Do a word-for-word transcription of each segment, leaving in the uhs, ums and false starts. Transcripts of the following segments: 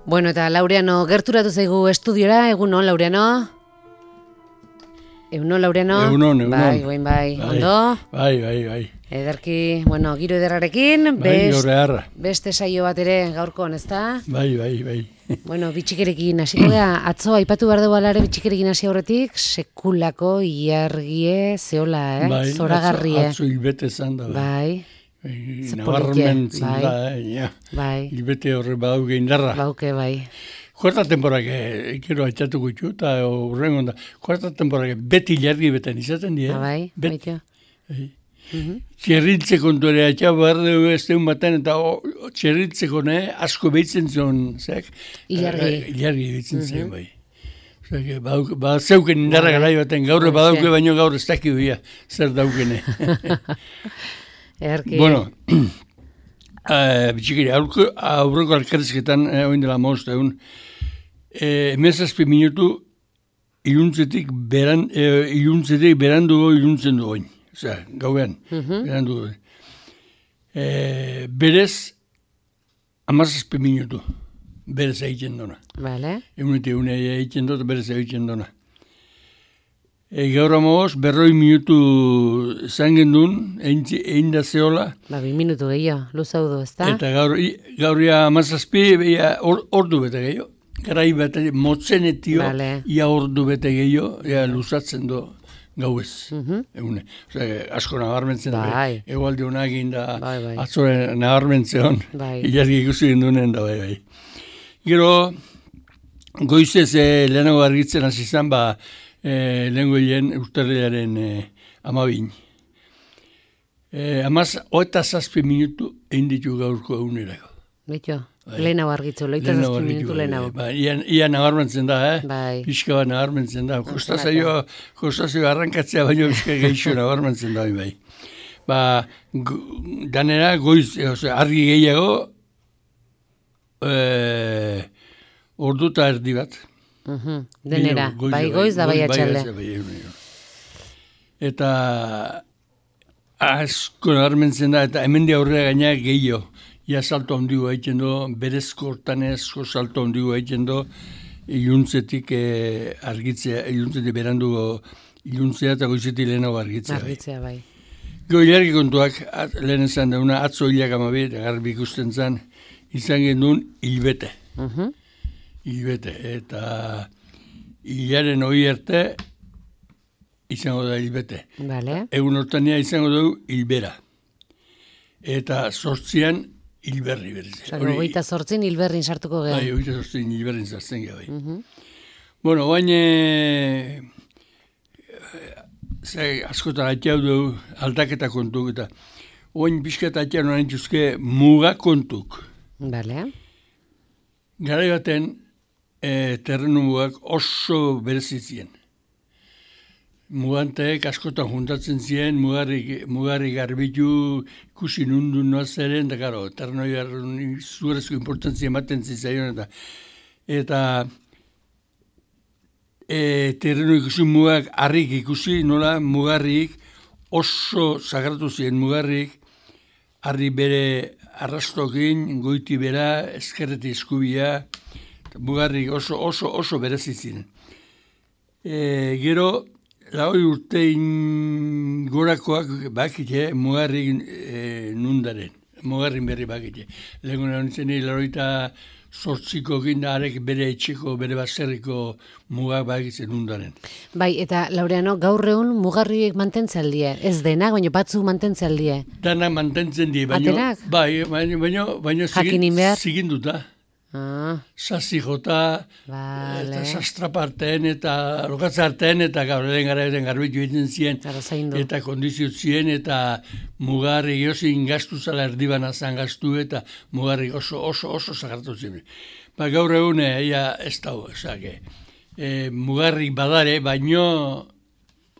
Bueno, eta Laureano gerturatu zaigu estudiora, egunon, Laureano? Egunon, Laureano? Egunon, egunon. Bai, guain bai, bai, ondo? Bai, bai, bai. Ederki, bueno, giro ederrarekin, Bai, best, horrearra. beste saio bat ere gaurkoan, ezta? Bai, bai, bai. Bueno, bitxikerekin hasiko gea, atzo aipatu behar dugu alare bitxikerekin hasi aurretik, sekulako ilargie zeola, eh? Bai, Zoragarrie. atzo hilbete zan da. Bai. Bai, Ze nabarmen politia, zin bai. da, eh, ja. Bai, Hilbete horre badauke indarra. bauke, bai. Kuarta temporak, eh, ikero haitatu gutxu, eta horren onda, kuarta temporak beti ilargi beten izaten die. Ah, bai, Bet, baito. bai. Mhm. Txerritze kontu ere, atxa behar dugu ez deun baten, eta o, txerritzeko ne, asko behitzen zuen, zeak? Ilargi. Eh, Ilargi behitzen zen, bai. Osea, bauk- ba, zeuken indarra Bai. garai baten, gaur Horixe. badauke, baino gaur ez dakio bia, zer daukene. Ederki. Bueno, uh, bitxikiri, aurko, aurreko alkarrizketan, eh, oin dela maoz egun, eh, emezazpi minutu iluntzetik, beran, eh, iluntzetik berandugo iluntzen du oin. Osea, gauean, Mhm. berandugo. Eh, berez, amazazpi minutu, berez egiten duna. Vale. Egunete egune egiten dut, berez egiten duna. E, gaur amagoz, berroi minutu zangen duen, egin da zeola, Ba, bi minutu gehiago, luzaudu, ezta? eta gaur, i- gaur ia amazazpi, ia or, ordu bete gehiago. Garai bete, motzenetio, Vale. ia ordu bete gehiago, ia luzatzen du gauez. Mhm. Egune. Osea, asko nabarmentzen da. Bai. Egualde honak egin da, Bai, bai. atzore nabarmentzen, Bai. ilargi ikusi gendunen da, bai, bai. Gero, goizez eh, lehenago argitzen hasi izan, ba, eh, lehengo hilen urtarrilaren eh, amabin. Eh, amaz, oeta zazpi minutu egin ditu gaurko egunerako. Bito, Bai. lehenago argitzu, loita Lehenago zazpi argitu, minutu bai, lehenago. Ba, ia, ia nabarmentzen da, eh? Bai. Pixka bat nabarmentzen da. Kostazio, kostazio arrankatzea baino pixka gehiago nabarmentzen da, bai. Ba, go, danera goiz, e, osea, argi gehiago, eh, ordu eta erdi bat. Mhm. Denera, Gehiago, bai goiz da bai atxalde. bai, bai. Eta asko nabarmentzen da, eta hemen di aurrera gaina gehiago. Ia salto handigo egiten du, berezko hortanezko salto handigo egiten du, iluntzetik eh, argitzea, iluntzetik berandugo iluntzea eta goizetik lehenago argitzea. bai. Argitzea, bai. Gero ilargi kontuak, at, lehen esan dauna, atzo hilak amabi, eta garbi ikusten zen, izan genuen hilbete. Mhm. Hilbete, eta hilaren hori arte izango da hilbete. Vale. Egun hortania izango dugu hilbera. Eta sortzian hilberri berriz. Osa, goita zortzin hilberrin sartuko geha. Bai, hogeita sortzian hilberrin zartzen gara, bai. Mhm. Bueno, bain, e, ze, askotan atiau dugu aldaketa kontuk, eta oain pixkat atiau noren txuzke muga kontuk. Vale. Garai baten, e, terrenu mugak oso berezitzien. Muganteek askotan juntatzen ziren, mugarri, mugarri garbitu, ikusi nundu noazeren, da karo, terrenoi zuerezko importantzia ematen zitzaion, eta eta e, terreno ikusi mugak harrik ikusi, nola mugarrik oso sagratu ziren mugarrik, harri bere arrastokin, goiti bera, eskerreti eskubia, mugarrik oso oso oso berezitzen. E, gero, Laui urtein gorakoak bakite mugarrin e, nundaren, mugarrin berri bakite. Lehenko nintzen nire laroita sortziko ginda arek bere etxeko, bere baserriko mugak bakitzen nundaren. Bai, eta Laureano, gaur egun mugarriek mantentzen aldie. Ez denak, baina batzu mantentzen aldie. Dana mantentzen die, baino, Atenak? bai, baino, baino, baino Jakinin behar? ziginduta. Ah, Sasi jota, vale. eta sastraparten, eta lokatzarten, eta gaur eren gara eren garbitu egiten ziren, Ara zaindu. eta kondizio zien, eta mugarri gozin gaztu zala erdibana zan gaztu, eta mugarri oso oso oso zagartu ziren. Ba, gaur egun, ia ez dago, esake. E, mugarrik badare, baino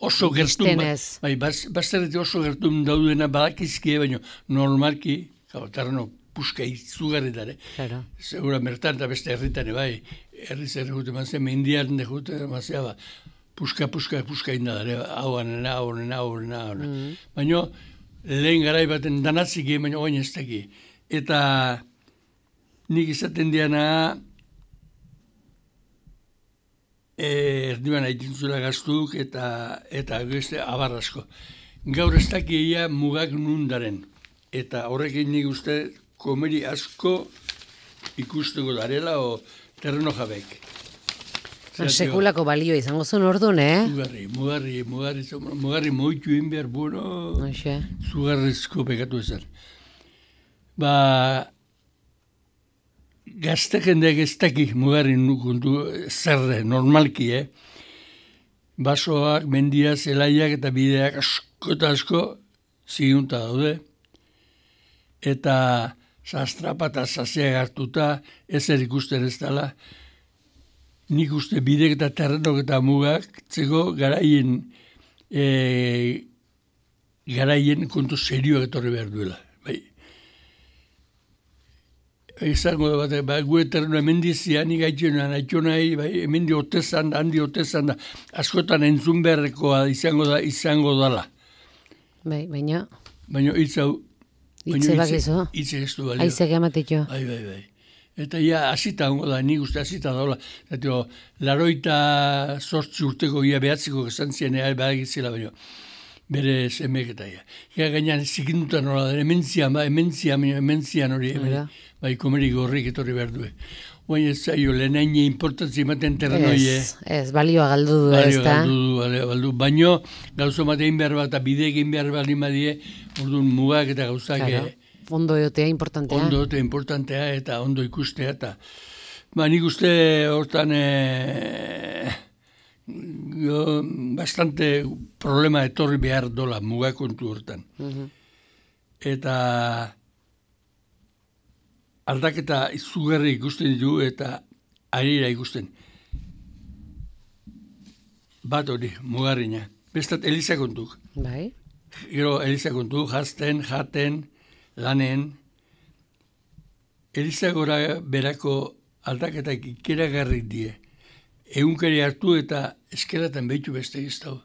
oso gertu, Biztenez. bai, bazterretik oso gertu daudena badakizkie, baino normalki, gau, terreno puska izugarritare. Claro. Segura mertan eta beste herritane, bai, herri zer jute mazea, mendian de jute mazea, ba, puska, puska, puska indadare, hau anena, hau anena, hau anena, hau anena. Baina, lehen garai baten danatzik egin, baina oin ez daki. Eta nik izaten diana, erdiban aitintzula gaztuk eta eta beste abar asko. Gaur ez dakia mugak nundaren. Eta horrekin nik uste komeri asko ikusteko darela o terreno jabek. Sekulako balio izango zuen orduan, eh? Mugarri, mugarri, mugarri, mugarri moitu egin behar, bueno, Oixe. zugarrizko pekatu ezan. Ba, gazte jendeak ez daki mugarri nukuntu zerre, normalki, eh? Basoak, mendia, zelaiak eta bideak asko eta asko zigunta daude. Eta sastrapa eta zazeak hartuta ezer ikusten ez dela. Nik uste bidek eta terrenok eta mugak txeko garaien e, garaien kontu serioak etorri behar duela. Bai. Izango da bat, ba, gue terreno emendizian igaitxenan, aitxonai, bai, emendi otezan da, handi otezan da, askotan entzun beharrekoa izango da, izango dala. Bai, baina... Baina hitz hau... Hitze bakizu. Hitze ez du balio. Aizek ematetxo. Bai, bai, bai. Eta ja, hasita hongo da, nik uste hasita daula. Zatio, laroita sortzi urteko ia behatziko esan zian ea badagizela baino. Bere semek eta ia. Ia gainean zikinduta nola da, ementzian, ba, ementzian, ementzian hori. Bai, bai, komeri gorrik etorri behar du. Oain ez zaio, lehenaine importantzi ematen terrenoie. Ez, ez, balioa galdu du, ez Balio da? galdu du, balio galdu. Baino, gauzo matein behar bat, eta bide egin behar bat badie, orduan mugak eta gauzak... Claro. Ondo egotea importantea. Ondo eta importantea eta ondo ikustea eta ba, nik uste hortan e, jo, bastante problema etorri behar dola mugakontu hortan. Uh-huh. Eta aldaketa izugarri ikusten ditu eta arira ikusten. Bat hori, mugarrina. Bestat eliza kontuk. Bai. Gero eliza kontuk, jazten, jaten, lanen, Elizagora berako aldaketak ikeragarrik die. Egunkari hartu eta eskelatan behitu beste giztau.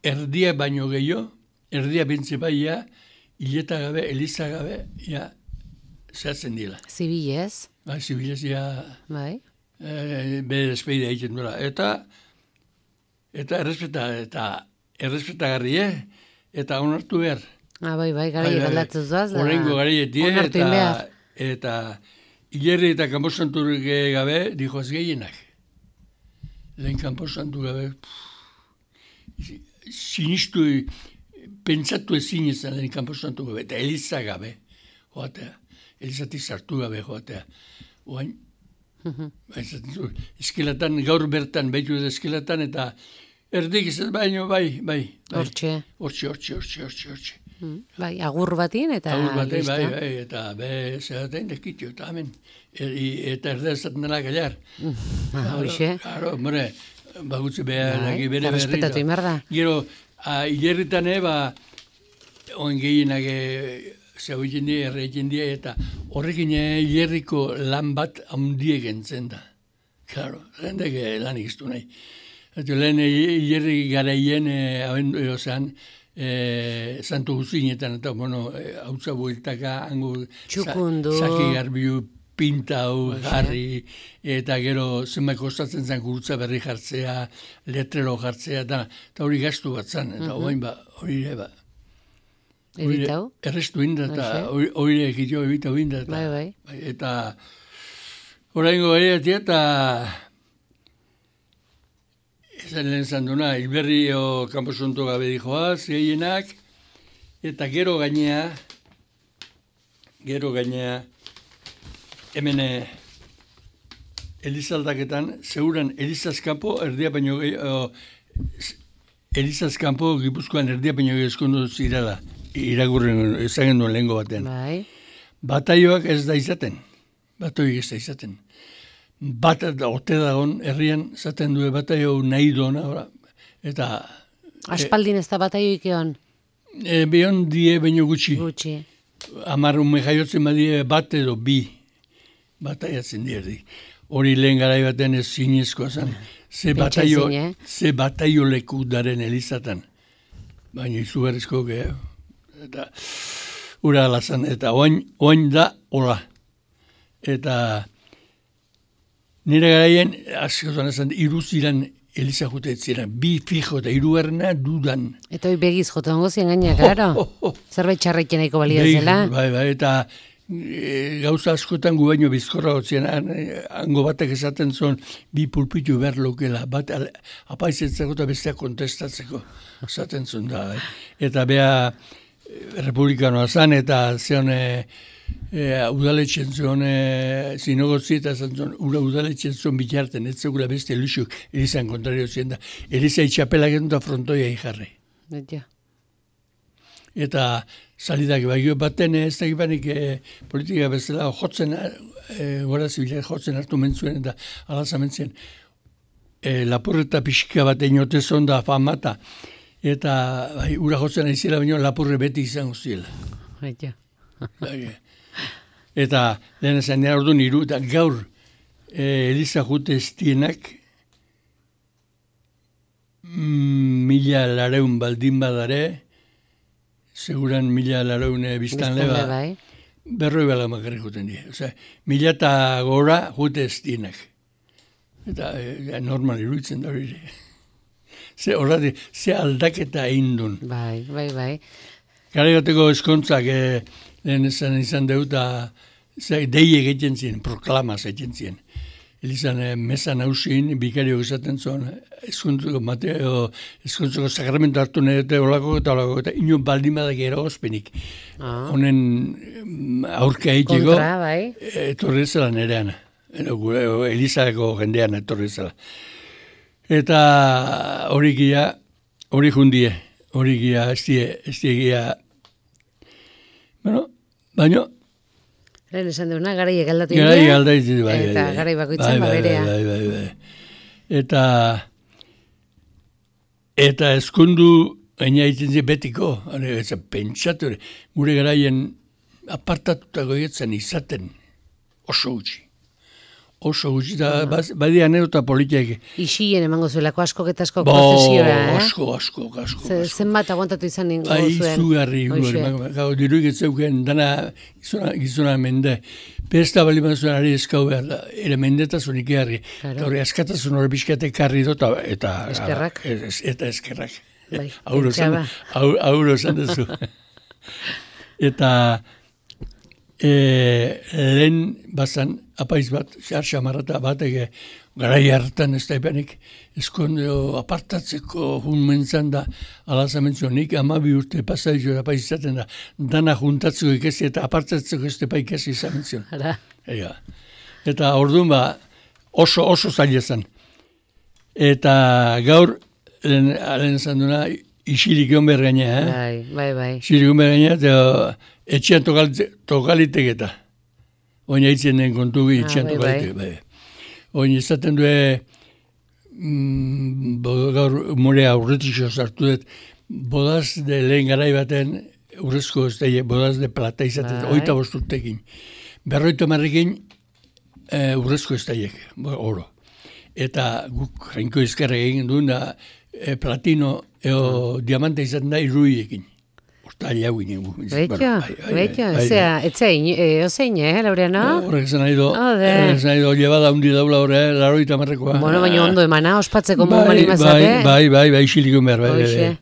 Erdia baino gehiago, erdia bentze baia, hileta gabe, Eliza gabe, ja, zehatzen dila. Zibilez. Ba, zibilez, ja, Bai. e, bere despeide egiten duela. Eta, eta errespeta, eta errespetagarri, eh? Eta onartu behar. Ah, bai, bai, garai aldatzen zuaz. Horrengo garaietie, onartu egin behar. eta, eta hilerri eta kanposanturik gabe, dijo ez gehienak. Lehen kanposantu gabe, pff, sinistu, pentsatu ezin izan lehen kanposantu gabe, eta Eliza gabe, joatea, Elizatik sartu gabe, joatea. Oain, eskelatan, gaur bertan, behitu edo eskelatan, eta erdik izan baino, bai, bai. Hortxe. Hortxe, hortxe, hortxe, hortxe, hortxe. Bai, agur batin eta... Agur batin, listo. bai, bai, eta be, zeraten deskitio, eta hemen. E, eta erdea esaten dela gailar. Ah, hoxe. Claro, more, bagutze behar, Bai, bere eta berri. respetatu inbar da. Gero, a, hilerritan, ba, oen gehienak zeu egin die, erre egin die, eta horrekin hilerriko lan bat handiek entzen da. Claro, zendek lan ikiztu nahi. Eta lehen hilerri garaien, e, ozean, E, Santo Guzinetan, eta, bueno, hautza bueltaka, hango... Txukundu. Zaki garbiu, pintau, jarri, eta gero zenbait kostatzen zen gurutza berri jartzea, letrero jartzea, eta, eta hori gastu bat zen, eta uh-huh. Oain ba, hori ere ba. Ebitau? Errestu inda, eta hori ere egitio ebitau inda, eta... Bai, bai. Eta... Horaingo gari eta... Esan lehen zanduna, hilberri o kanposonto gabe dijoaz, gehienak, eta gero gainea, gero gainea, hemen Elizaldaketan, zeuran Elizazkampo, erdia baino gehiago, Elizazkampo Gipuzkoan erdia baino gehiago eskondu zirela, iragurren ezagen duen lehengo batean. Bai. Bataioak ez da izaten, bataioak ez da izaten. Bat ote dagon herrian zaten du bataio nahi duena, eta... Aspaldin ez da bataioik egon? E, Beon die baino gutxi. Gutxi. Amar ume jaiotzen badie bat edo bi bataiatzen dierdi. Hori lehen garai baten ez zinezkoa zen. Ze bataio, eh? ze bataio leku daren Elizatan. Baina izugarrizko gehiago. Eta ura alazan. Eta oain, oain da hola. Eta... Nire garaien, askotan esan, iruziran Eliza jute ziren, bi fijo eta hirugarrena dudan. Eta hoi begiz jote hongo zien gaina, klaro. Oh, oh, oh. Zerbait txarrekin nahiko balio zela. Bai, bai, eta e, gauza askotan gu baino bizkorra gotzien, hango batek esaten zuen, bi pulpitu behar lokela, bat apaizetzeko eta bestea kontestatzeko, esaten zuen da. Eh? Eta bea republikanoa zan, eta zeon... E, E, udaletxen zuen e, zinogotzi eta zantzun, ura udaletxen zuen bitarten, ez zegula beste elusuk, Elizan kontrario zien da. Eliza itxapelak edo eta frontoia ijarri. Ja. Eta salidak bagio baten ez da gibanik e, politika bezala jotzen, e, gora zibilak jotzen hartu mentzuen eta alazamentzien. E, lapurreta pixka bat inote zon da famata. Eta bai, ura jotzen aizela baino lapurre beti izango ziela. Ja. Eta lehen esan dira ordu niru, eta gaur e, Eliza jute estienak mm, mila lareun baldin badare, seguran mila lareun biztan leba, bai. berroi bala makarrik juten dira. Osea, mila eta gora jute estienak. Eta e, normal iruditzen da hori. Ze horrati, ze aldaketa egin duen. Bai, bai, bai. Gara bateko eskontzak, e, lehen esan izan deuta, deie egiten ziren, proklamaz egiten ziren. Elizan, e, mesan hausin, bikario esaten zuen, eskontzeko mateo, eskontzeko sakramento hartu nahi dute olako eta olako, eta ino baldin badak eragozpenik. Honen ah. aurka egiteko, kontra, bai. Etorri zela nerean, Elizako jendean etorri zela. Eta hori gira, hori jundie, hori gira, ez die gira, bueno, baina... Lehen esan deuna, garai egaldatu india. Garai egaldatu bai, bai. Eta garai bakoitzen bai, baberea. Bai, bai, bai, bai. Eta... Eta eskundu, gaina egiten zi betiko, ez pentsatu, gure garaien apartatutako egetzen izaten oso gutxi. Oso gutxi, eta badia anedota politiak. Isien emango zuelako askok eta askok prozesiora, eh? Asko, asko, asko. Zenbat aguantatu izan ningu zuen. Izugarri, gau, diruik etzeuken, dana gizuna mende. Pesta bali mazuen ari eskau behar da, ere mendetasun ikiarri. Eta hori askatasun hori bizkate karri dota, eta... Eskerrak. Eta eskerrak. Bai, auro zan dezu. Eta... E, lehen bazan apaiz bat, xar xamarrata bat ege, garai hartan ez da epenik, eskondeo apartatzeko hun mentzan da, alazamentzio nik amabi urte pasaizu apaiz izaten da, dana juntatzeko ikesi eta apartatzeko ez da ikesi izamentzio. Ega. Eta orduan ba, oso, oso zailezan. Eta gaur, lehen, lehen zan duna, isilik egon behar gaina, eh? Bai, bai, bai. Isilik egon behar gaina, eta etxean tokalitek eta. Oina hitzen den kontu gi, etxean ah, tokalitek. Bai, bai. Oina izaten due, mm, gaur more aurretixo sartu dut, bodaz de lehen garai baten, urrezko ez da, bodaz de plata izaten, bai. Oita bosturtekin. Berroita marrekin, e, urrezko ez da, oro. Eta guk jainko izkarra egin duen da, e, platino, eo ah. diamante izaten da, irruiekin. Hortali hau ginen. Betxo, betxo, etzein, ozein, eh, Laureano? Horrek esan nahi do, esan nahi do, llebada hundi daula horre, laroita marrekoa. Bueno, baina ondo emana, ospatzeko bai, mumari mazate. Bai, bai, bai, xilikun behar, bai, bai.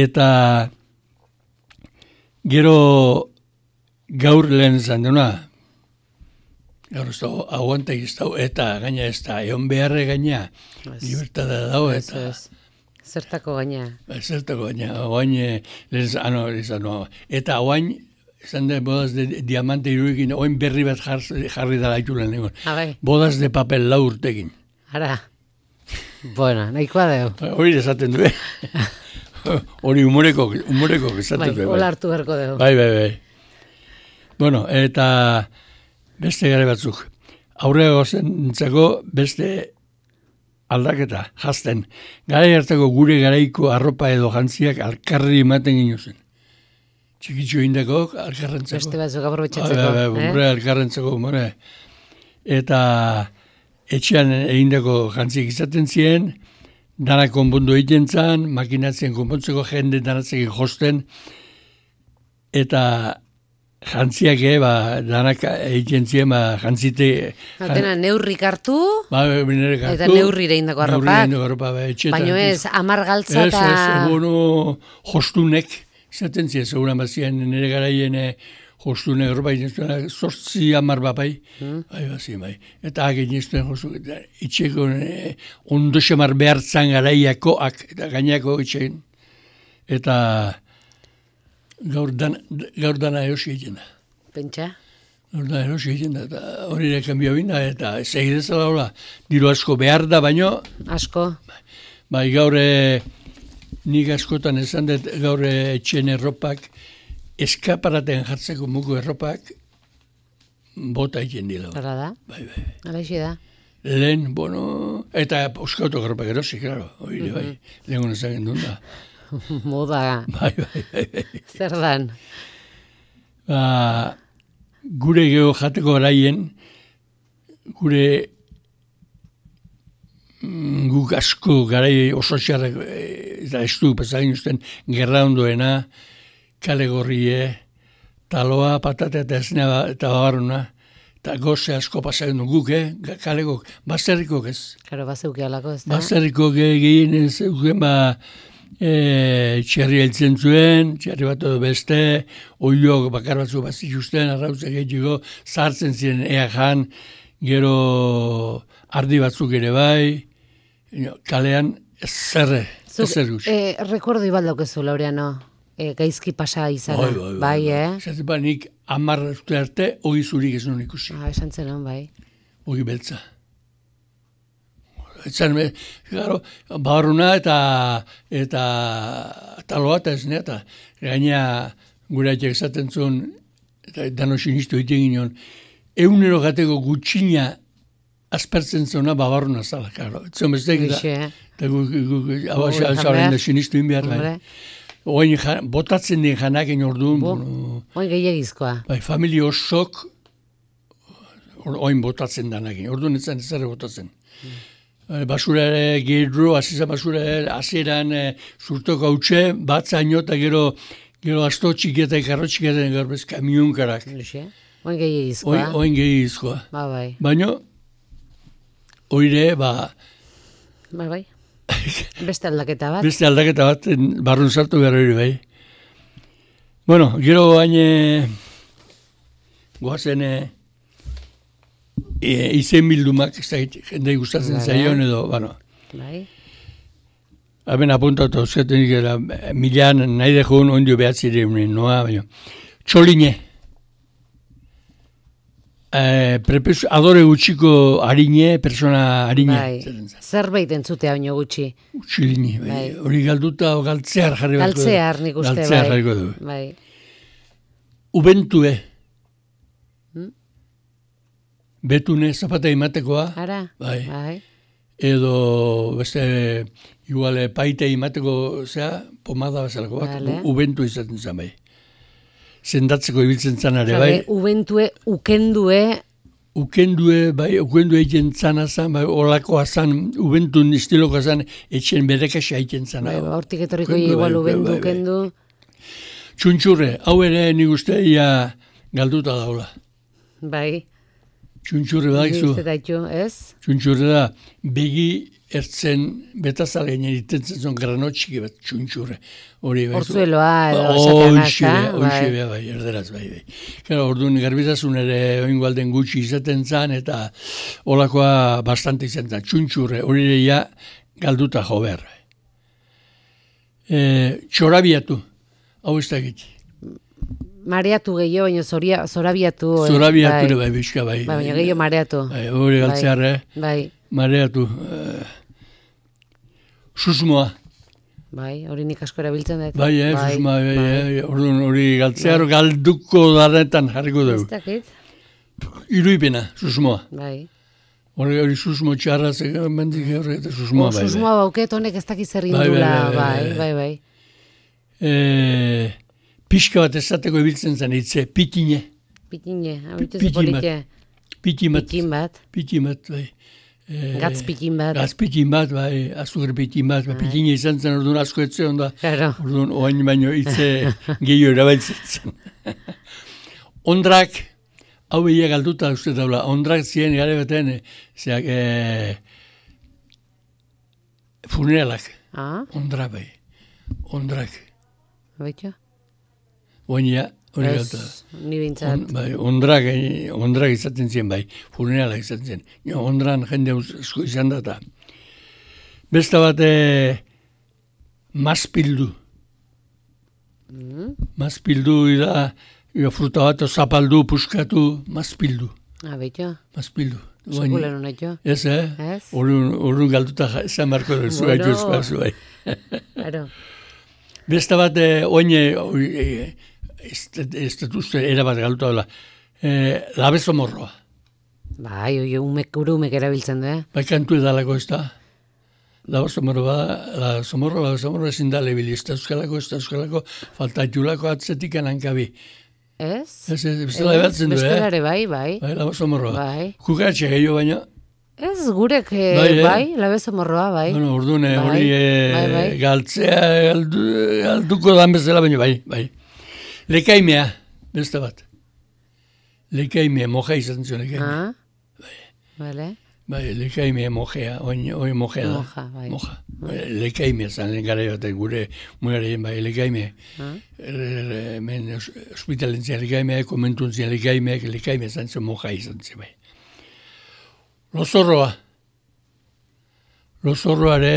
Eta gero gaur lehen zan duna, gaur ez da, aguanta ez da, eta gaina ez da, egon beharre gaina, libertada dago, eta... Zertako gaina. Zertako gaina. Oain, ano, ano, eta oain, esan da, bodaz de diamante iruekin, oain berri bat jarri, jarri dala itulen egon. Bodaz de papel lau urtekin. Ara. Bueno, nahikoa deu. Hori esaten du, eh? Hori humoreko, humoreko esaten du. Bai, hola hartu beharko deu. Bai, bai, bai. Bueno, eta beste gare batzuk. Aurrego zentzako beste aldaketa, jazten. Garai hartako gure garaiko arropa edo jantziak alkarri ematen gino zen. Txikitxo indako, alkarrentzako. Beste batzuk aprobetxatzeko. Ba, ba, eh? Alkarrentzako, more. Eta etxean egindako jantziak izaten ziren, danak konpondu egiten zan, makinatzen konpontzeko jende danatzekin josten, eta jantziak, eh, ba, danak egiten ziren, ba, jantzite... Dena neurrik hartu, ba, hartu eta neurrire indako arropak. Arropa, ba, baina ez, amar galtza eta... Ez, ez, bueno, jostunek, zaten ziren, seguran bat ziren, nire garaien jostunek, arropa egiten zortzi amar bat bai, hmm. bai, bat ziren, bai. Eta agin iztuen jostu, eta itxeko eh, ondo xamar behartzan garaiakoak, eta gainako itxein. Eta gaur, dan, gaur dana erosi egiten da. Pentsa? Gaur dana erosi egiten da, eta hori ere kanbio bina, eta segidezala hola, diru asko behar da, baino... Asko? Bai, bai gaur e, nik askotan esan dut gaur etxen erropak, eskaparaten jartzeko mugu erropak, bota egiten dira. Hala da? Bai, bai. Hala isi da? Lehen, bueno, eta oskautok erropak erosi, klaro, hori mm-hmm. bai, lehen gona zagen duen da. Moda. Bai, bai, bai, bai. Zer dan? Ba, gure geho jateko garaien, gure mm, guk asko garai oso txarrak eta estu pesagin usten gerra ondoena, kale gorrie, taloa, patata eta esnea eta babarruna, eta goze asko pasagin du guk, eh? Kalekok, bazterrikok ez. Karo, bazeuke alako ez da? Bazterrikok egin ez euken, ba, E, txerri heltzen zuen, txerri bat edo beste, oiok bakar batzu bat zituzten, arrautzak egiteko, zartzen ziren ea jan, gero ardi batzuk ere bai, kalean zerre, ezer gutxi. E, rekordo ibaldaukezu, Laureano, e, gaizki pasa izan, bai, bai, bai, bai, eh? Zaten ba, nik amar urte arte, ogi zurik ez nuen ikusi. Ah, esan zen hon, bai. Ogi beltza. Etzan, claro, barruna eta eta taloa eta esnea, eta gaina gure aitek esaten zuen, eta dano sinistu egiten ginen, eunero gateko gutxina aspertzen zuena babarruna zala, claro. Etzan bestek, eta hau xaren da sinistu inbiar, bai. Oain botatzen den janaken orduan. Oain gehiagizkoa. Bai, familia osok, oain botatzen danakin, orduan etzan ez zara botatzen. Basura ere, gero, azizan basura ere, azeran e, zurtoko hautxe, bat zaino eta gero, gero asto txiketa, karro txiketa, gero bez kamionkarak. Oin gehiagizkoa. Oin gehiagizkoa. Ba, bai. Baina, oire, ba... Ba, bai. Beste aldaketa bat. Beste aldaketa bat, barrun sartu behar hori, bai. Bueno, gero baina, goazen... E, izen bildumak, ez da, jendei gustatzen bai, zaion edo, bueno. Bai. Haben apuntatu, zertenik era, milan nahi dejun ondio behatzi diren, noa, baina. Txoline. E, prepes, adore gutxiko harine, persona harine. Bai. Zerbait entzutea baino gutxi. Txoline, bai. Hori galduta o galtzear jarri bat. Galtzear nik uste, galtzear bai. Galtzear jarri bai. Ubentue. Betune zapata imatekoa. Ara, bai. bai. Edo, beste, igual, paite imateko, zera, pomada bezalako bat, vale. Ubentu izaten zen, bai. Zendatzeko ibiltzen zanare, bai. Ubentue, ukendue. Ukendue, bai, ukendue egiten zana zan, bai, olakoa zan, ubentun istilokoa zan, etxen berekasa egiten zana. Bai, hortik etorriko igual bai, ubentu, bai, ukendu. Txuntxurre, hau ere nik uste ia galduta daula. Bai. Txuntxurre da, izu. Ez? Txuntxurre da, begi ertzen betazale ginen itentzen zon granotxiki bat txuntxurre. Hortzueloa edo esatean azta. Hoxe, bai, bai, erderaz, bai, bai. Gara, orduan garbitazun ere oingualden gutxi izaten zan, eta olakoa bastante izan zan. Txuntxurre, hori ere ja galduta jo behar. E, txorabiatu, hau ez da egit. Mareatu gehiago, baina zorabiatu. Zorabiatu ere bai, bizka bai. Bai, baina gehiago mareatu. Bai, hori galtzear, eh? Bai. Mareatu. Uh, susmoa. Bai, hori nik asko erabiltzen dut. Bai, eh, bai, susmoa, bai, bai. Hori, hori galtzear bai. Galduko darretan jarriko dugu. Ez dakit. Iruipena, susmoa. Bai. Hori, hori susmo txarra, mendik hori eta susmoa, bai. Susmoa bauket honek ez dakiz zer indula, bai, bai, bai. Eh... Pixka bat ezateko ibiltzen zen hitze, pitine. Pitine, abitu zepolite. Pitin bat. Pitin bat. Pitin bat, bai. Gatz pitin bat. Gatz pitin bat, bai, azukre pitin bat. Pitine izan zen, orduan asko etze onda. Claro. Orduan, oain baino hitze gehiago erabiltzen zen. ondrak, hau behia galduta uste daula, ondrak ziren gare beten, zeak, e, funeralak, Ah, ondrak bai, ondrak. baitu? Oinia, hori galduta. Ez, ni bintzat. On, bai, ondrak, eh, ondrak izaten ziren bai, funeralak izaten ziren. Jo, ondran jende asko izan da eta. Beste bat, e, mazpildu. Mm. Mazpildu da, jo, fruta bat zapaldu, puskatu, mazpildu. Ah, baitu? Mazpildu. Sekulen honet jo? Ez, eh? Ez? Orrun galduta esan barko dut, zu Bueno. gaitu espazu, bai. Claro. Beste bat, eh, oine, eh, ez ez dut uste erabat galduta dela, eh, labezo morroa. Bai, oi, umek, uru umek erabiltzen du, eh? Bai kantu edalako ez da. Labezo morroa, labezo morroa, labezo morroa ezin da lebili, ez da euskalako, ez da euskalako, faltatxulako atzetik anankabi. Ez? Ez, ez, bestela ebatzen du, eh? Bestelare, bai, bai. Bai, labezo morroa. Bai. Kukaratxe gehiago baina, Ez gurek, eh, Bai, eh? bai, labezo morroa, bai. bueno, orduan, eh, Bai, hori eh, bai, bai. galtzea, galdu, galduko dan bezala baina, bai, bai. Lekaimea, beste bat. Lekaimea, moja izan zion lekaimea. Ah, vale. Bai, lekaimea mojea, oin, oin mojea da. Moja, bai. Moja. Lekaimea zan lehen gara baten gure mugarien bai, lekaimea. Ah, Hemen hospitalen zian lekaimea, komentun zian lekaimea, lekaimea zan zion moja izan zion bai. Lozorroa. Lozorroare,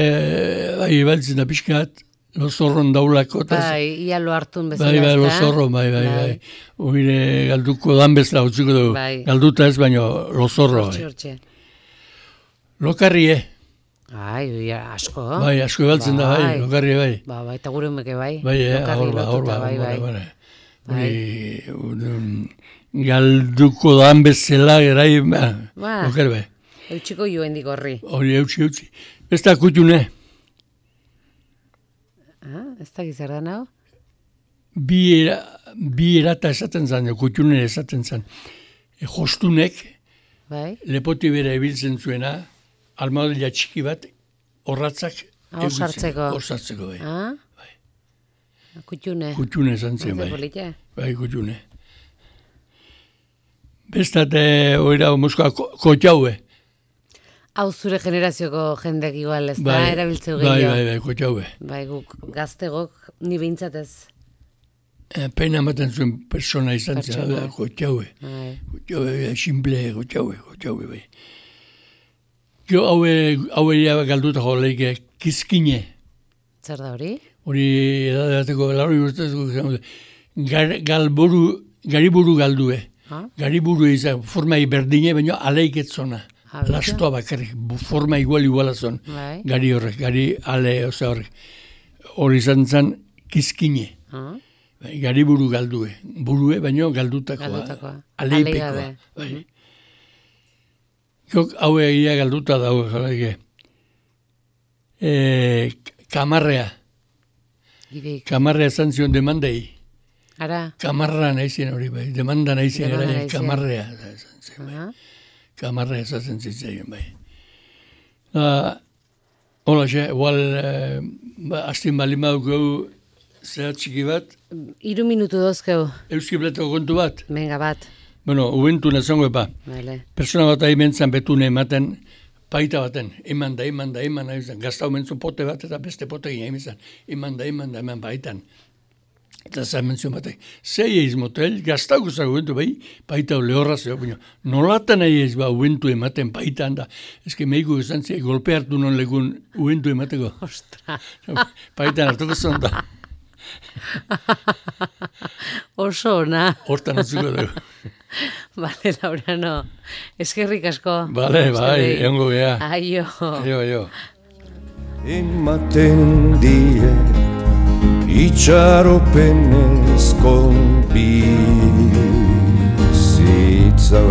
bai, baltzen da pixkat, lozorron daulako. bai, ia lo hartun bezala. Bai, bai, ezta? lozorro, bai, bai, bai. Oire galduko dan bezala, utziko dugu. Bai. Galduta ez, baino lozorro, Hortxe, bai. hortxe. Lokarrie, Ai, oi, asko. bai, asko ebaltzen da, bai, Bai. lokarrie, bai. Ba, bai, eta gure umeke bai. Bai, eh, Lokarri hor ba, hor ba, lotuta, bai, hor ba, bai. bai. Hori, un, galduko dan bezala, gerai, ba, Ba. lokar, bai. Eutxiko joen digorri. Hori, eutxi, eutxi. Besta kutxune, Ah, ez da gizar da nao? bi, era, bi erata esaten zan, kutxune esaten zan. E, jostunek, Bai? lepoti bera ebiltzen zuena, armadilla txiki bat, horratzak, Ah, hor sartzeko. Hor sartzeko, bai. Ah? Kutxune. Kutxune esan zen, Ez bai. da polita? Bai, kutxune. Bestate, oira, moskoa, ko- kotxaue. Hau zure generazioko jendek igual, ez da, Bai, erabiltzeu bai, gehiago. bai, bai, kotxaue. Bai, guk gaztegok ni behintzatez. E, pena ematen zuen persona izan zen, Pertsona. hau da, kotxaue. Bai. Kotxaue, simple, kotxaue, kotxaue, bai. Jo, haue, haue ja galduta jo leike, kizkine. Zer da hori? Hori edadateko, lauri urtezko, gar, galburu, gariburu galdue. Ha? Gariburu izan, formai berdine, baina aleiketzona. Ah, begira? Lastoa bakarrik, bu- forma igual iguala zon. Bai. Gari horrek, gari ale, oza horrek. Hori izan zen kizkine. Ah? Bai, gari buru galdue. Burue, baino galdutakoa. Galdutakoa. Aleipekoa. Aleigabe. Bai. Jok, hau egia galduta dago, jarraike. E, kamarrea. Gideik. Kamarrea esan zion demandei. Ara? Kamarra naizien hori bai. Demanda naizien Demanda gara, naizien. kamarrea. Esan zen, bai. Ah? Kamarrea esaten zitzaion bai. Uh, Hola, xe, igual, eh, ba, astin bali maduko zera txiki bat, Hiru minutu dozkeu. euski bletako kontu bat. Venga, bat. Bueno, ubentu nazongo epa. Vale. Persona bat ahi mentzan betune ematen, paita baten, eman da, eman da, eman da, eman da, gaztau mentzu pote bat eta beste pote gina emizan, eman da, eman da, eman baitan. Eta zan mentzio batek, zei eiz motel, gaztau guzak ubentu bai, paita lehorra zeo, baina nolatan ahi eiz ba ubentu ematen paitan da, ezke meiko izan zia, golpe hartu non legun ubentu emateko. Ostra. Paitan hartuko zon da, Oso ona. hortan atzuko dugu. Vale, Laurano. Eskerrik asko. Bale, bai, egongo gea. Aio. Aio, aio. Ematen die itxaropenezko bizitza.